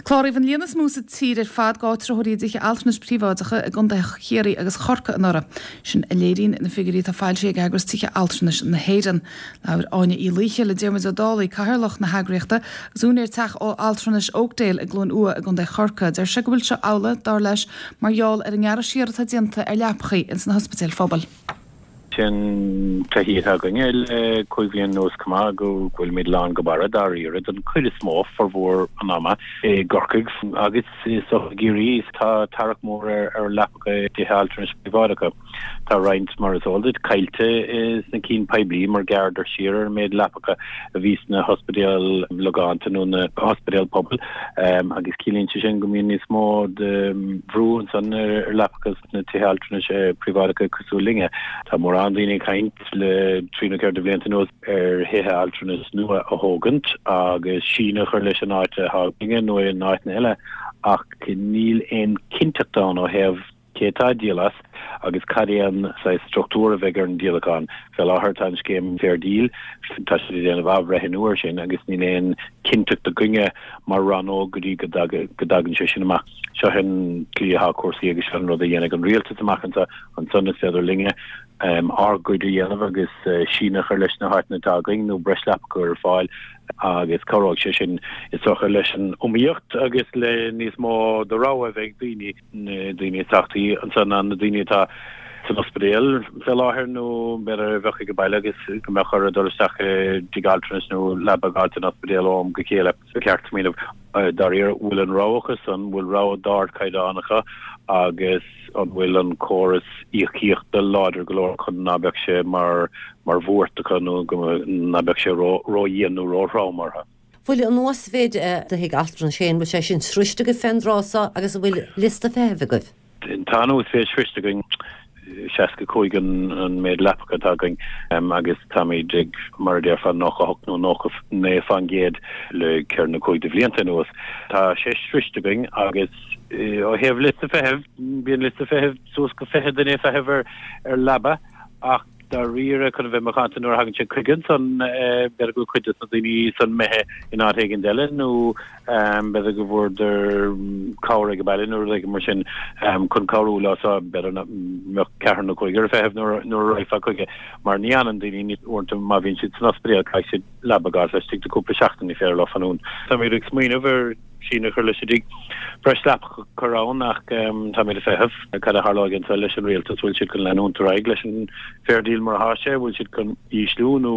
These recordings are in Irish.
Cláraíodh an líon is mó sa tír ar fad d'áitritheoirí i dtithe altranais príobháideacha i gcontaetha Chiarraí agus Chorcaí anuraidh. Sin a léiríonn na figiúirí atá foilsithe ag eagras Tithe Altranais na hÉireann. Labhair Áine Uí Laoithe le Diarmuid Ó Dálaigh, Cathaoirleach na heagraíochta agus úinéir teach altranais Oakdale i gCluain Umha i gContae Chorcaí. Deir sé go bhfuil seo amhlaidh, dar leis, mar gheall ar an ngearradh siar atá déanta ar leapachaí ins na hospidéil phobail. Sin taithí atá againne le 5 bhliain anuas chomh maith, go bhfuilimid lán go barra dáiríre den chuid is mó, formhór an ama, i gCorcaigh agus i gCiarraí. Tá tarrac mór ar leapacha i dtithe altranais príobháideacha. Tá roinnt, mar is eol duit, caillte sna cinn poiblí mar ghearradar siar ar an méid leapacha a bhí sna hospidéil logánta nó na hospidéil pobail agus ciallaíonn sé sin go mbíonn níos mó de bhrú ansan ar leapacha sna tithe altranais príobháideacha cosúil linne. Tá mórán daoine ag caint le trí nó ceithre de bhlianta anuas ar thithe altranais nua a thógaint agus síneadh a chur leis an áit atá againne nó in áiteanna eile ach níl aon chinnteacht ann ó thaobh cé atá ag díol as agus cad é an saghas struchtúr a bheidh ar an díolachán. Fé láthair tá an scéim Fair Deal, tá siad ag déanamh athbhreithniú air sin agus níl aon chinnteacht againne mar rannóg go dtí go dtagann sé sin amach. Seo an tslí atá cúrsaí agus seo an rud a dhéanfaidh an rialtas amach anseo. Ansan is féidir linne ár gcuid a dhéanamh agus síneadh a chur leis na háiteanna atá againn nó breis leapacha a chur ar fáil agus cabhróidh sé sin is dócha leis an iomaíocht agus le níos mó de rogha a bheith ag daoine, na daoine is tábhachtaí ansan ná na daoine atá san ospidéal fé láthair nó b'fhéidir a bheadh ag baile agus go mbeadh orthu dul isteach i dtigh altranais nó leaba a dh'fháilt in ospidéal ó am go chéile. Ba cheart smaoineamh dáiríre, bhfuil an rogha acu san, bhfuil rogha d'ardchaighdeán acu agus an bhfuil an córas íocaíochta láidir go leor chun ná beadh sé mar mar bhuairt acu nó go ná beadh sé ró-dhian nó ró-throm orthu. Bhfuil an uasmhéid de thithe altranais féin, bhfuil sé sin sroiste agaibh fén dtráth so agus an bhfuil liosta feithimh agaibh? Tá an uasmhéid sroiste againn, 65 an méid leapacha atá againn agus táimid ag, mar a déarfá, 98 nó 99 fán gcéad le ceithre nó cúig de bhlianta anuas. Tá sé sroiste againn agus ó thaobh liosta feithimh, bíonn liosta feithimh suas go 20 duine ag feitheamh ar leaba ach dáiríre chun a bheith macánta nuair a thagann sé chuige ansan b'fhéidir go bhfuil cuid de na daoine san imithe in áit éigin eile nó b'fhéidir go bhfuaireadar cabhair ag an baile nó rud éigin mar sin chun cabhrú leo so b'fhéidir nach mbeadh ceathrar nó cúigear ag feitheamh nuair a raghfá chuige mar ní fhanann daoine uaireanta má bhíonn siad san ospidéal caithfidh siad leaba a dh'fháilt laistigh de cúpla seachtain ní féidir leo fanúint. Táimid ag smaoineamh ar síneadh a chur leis an dtigh. Breis leapacha a chur ann ach táimid ag feitheamh cad a tharlóidh anseo leis an rialtas, bhfuil siad chun leanúint ar aghaidh leis an Fair Deal mar atá sé, bhfuil siad chun ísliú nó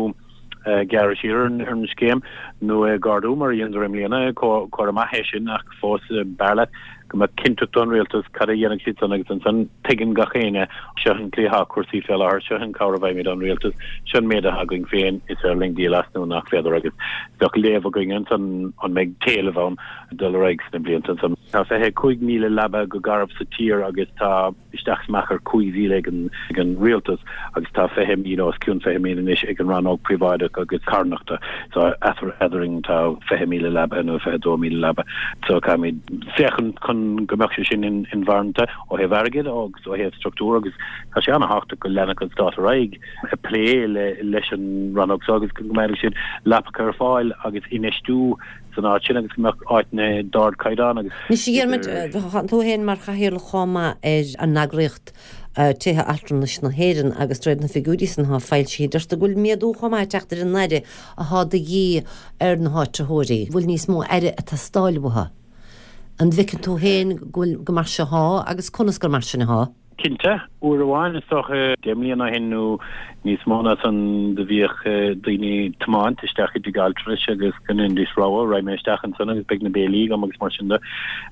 gearradh siar ar an scéim nó é a ardú mar a dheineadar i mbliana. Comhartha maith é sin ach fós b'fhearr leat go mbeadh cinnteacht ón rialtas cad a dhéanfaidh siad san agus ansan tuigeann gach éinne seo an tslí atá cúrsaí fé láthair, seo an cabhair a bhfaighimid ón rialtas, seo an méid atá againn féin, is féidir linn díol as nó nach féidir agus bheadh léamh againn ansan an mbeidh t-éileamh ann dul ar aghaidh sna blianta ansan. Tá 25,000 leaba go garbh sa tír agus tá isteach is amach ar 5,000 ag an ag an rialtas agus tá 20,000, os cionn 20,000 anois ag an rannóg príobháideach agus carthanachta. So eadrainn tá 20,000 leaba nó 22,000 leaba. So caithfimid féachaint chun go mbeadh sé sin inmharthana ó thaobh airgid agus ó thaobh struchtúr agus tá sé an-thábhachtach go leanfadh an stát ar aghaidh ag plé leis an rannóg seo agus go mbeadh siad leapacha ar fáil agus infheistiú san áit sin agus go mbeadh áiteanna d'ardchaighdeán agus. Anois a Dhiarmuid, tá tú féin mar chathaoirleach chomh maith ar an eagraíocht Tithe Altranais na hÉireann agus de réir na figiúirí san atá foilsithe, deirtear go bhfuil méadú chomh maith ag teacht ar an aire atá de dhíth ar na háitritheoirí. bhfuil níos mó aire ag teastáil uathu. An bhfeiceann tú féin go bhfuil go mar seo atá agus conas gur mar sin atá? Cinnte. Uair amháin, is dócha, 10 mbliana ó shin nó níos mó ná san, do bhíodh daoine tiomáint isteach i dtigh altranais agus go ndeinidís rogha, raghaidh mé isteach ansan agus beidh na béilí agam agus mar sin de.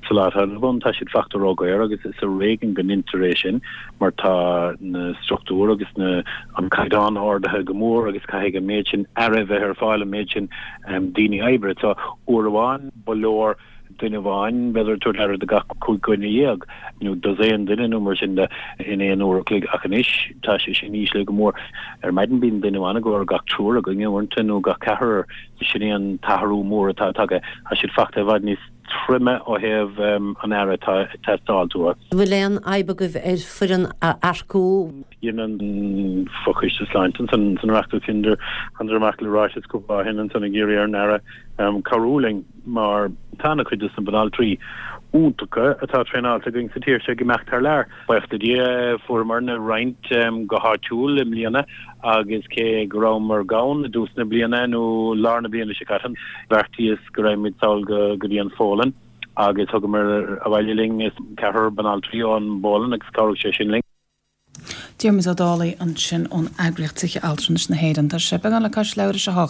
Sa lá atá inniu ann, tá siad fachta ródhaor agus is ar éigean go ndeintear é sin mar tá na struchtúir agus na an caighdeán ardaithe go mór agus caithfidh an méid sin aire a bheith ar fáil, an méid sin daoine oibre. So, uair amháin, ba leor duine amháin, b'fhéidir, ag tabhairt aire do gach 15 dhuine nó dosaen duine nó mar sin de in aon uair a chloig ach anois tá sé sin íslithe go mór. Ar maidin bíonn duine amháin ag obair gach triúr againne uaireanta nó gach ceathrar. Sin é an t-athrú mór atá tagtha. Tá siad fachta i bhfad níos. troime ó thaobh an aire atá ag teastáil uathu. An bhfuil aon fhadhb agaibh ar foireann a earcú? Dhein an Fochoiste Sláinte ansan san Oireachtas thánadar amach le ráiteas cúpla lá ó shin ansan ag iarraidh ar an Aire cabhrú linn mar tá ana chuid de na banaltraí iontacha atá traenáilte againn sa tír seo ag imeacht thar lear. Buíochas le Dia fuaireamarna roinnt go háitiúil i mbliana agus cé go rabhamar gann i dtús na bliana nó lár na bliana seo caite, bheartaíos go raghaimid sall go dtí an Pholainn agus thugamar abhaile linn ceathrar banaltraí ón bPolainn agus chabhraigh sé sin linn. Diarmuid Ó Dálaigh ansin ón eagraíocht Tithe Altranais na hÉireann. Tá sé beagán le cois leathuair tar éis a 8.